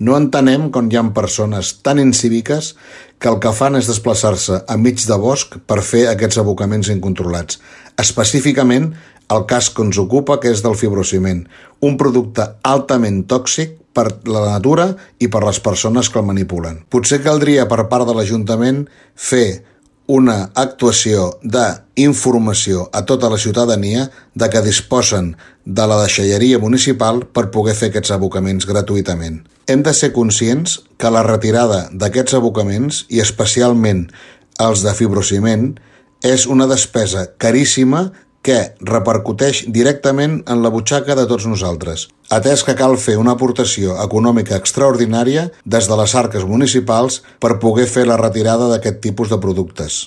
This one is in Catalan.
No entenem com hi ha persones tan incíviques que el que fan és desplaçar-se enmig de bosc per fer aquests abocaments incontrolats. Específicament, el cas que ens ocupa, que és del fibrociment, un producte altament tòxic per la natura i per les persones que el manipulen. Potser caldria per part de l'Ajuntament fer una actuació d'informació a tota la ciutadania de que disposen de la deixalleria municipal per poder fer aquests abocaments gratuïtament. Hem de ser conscients que la retirada d'aquests abocaments, i especialment els de fibrociment, és una despesa caríssima que repercuteix directament en la butxaca de tots nosaltres, atès que cal fer una aportació econòmica extraordinària des de les arques municipals per poder fer la retirada d'aquest tipus de productes.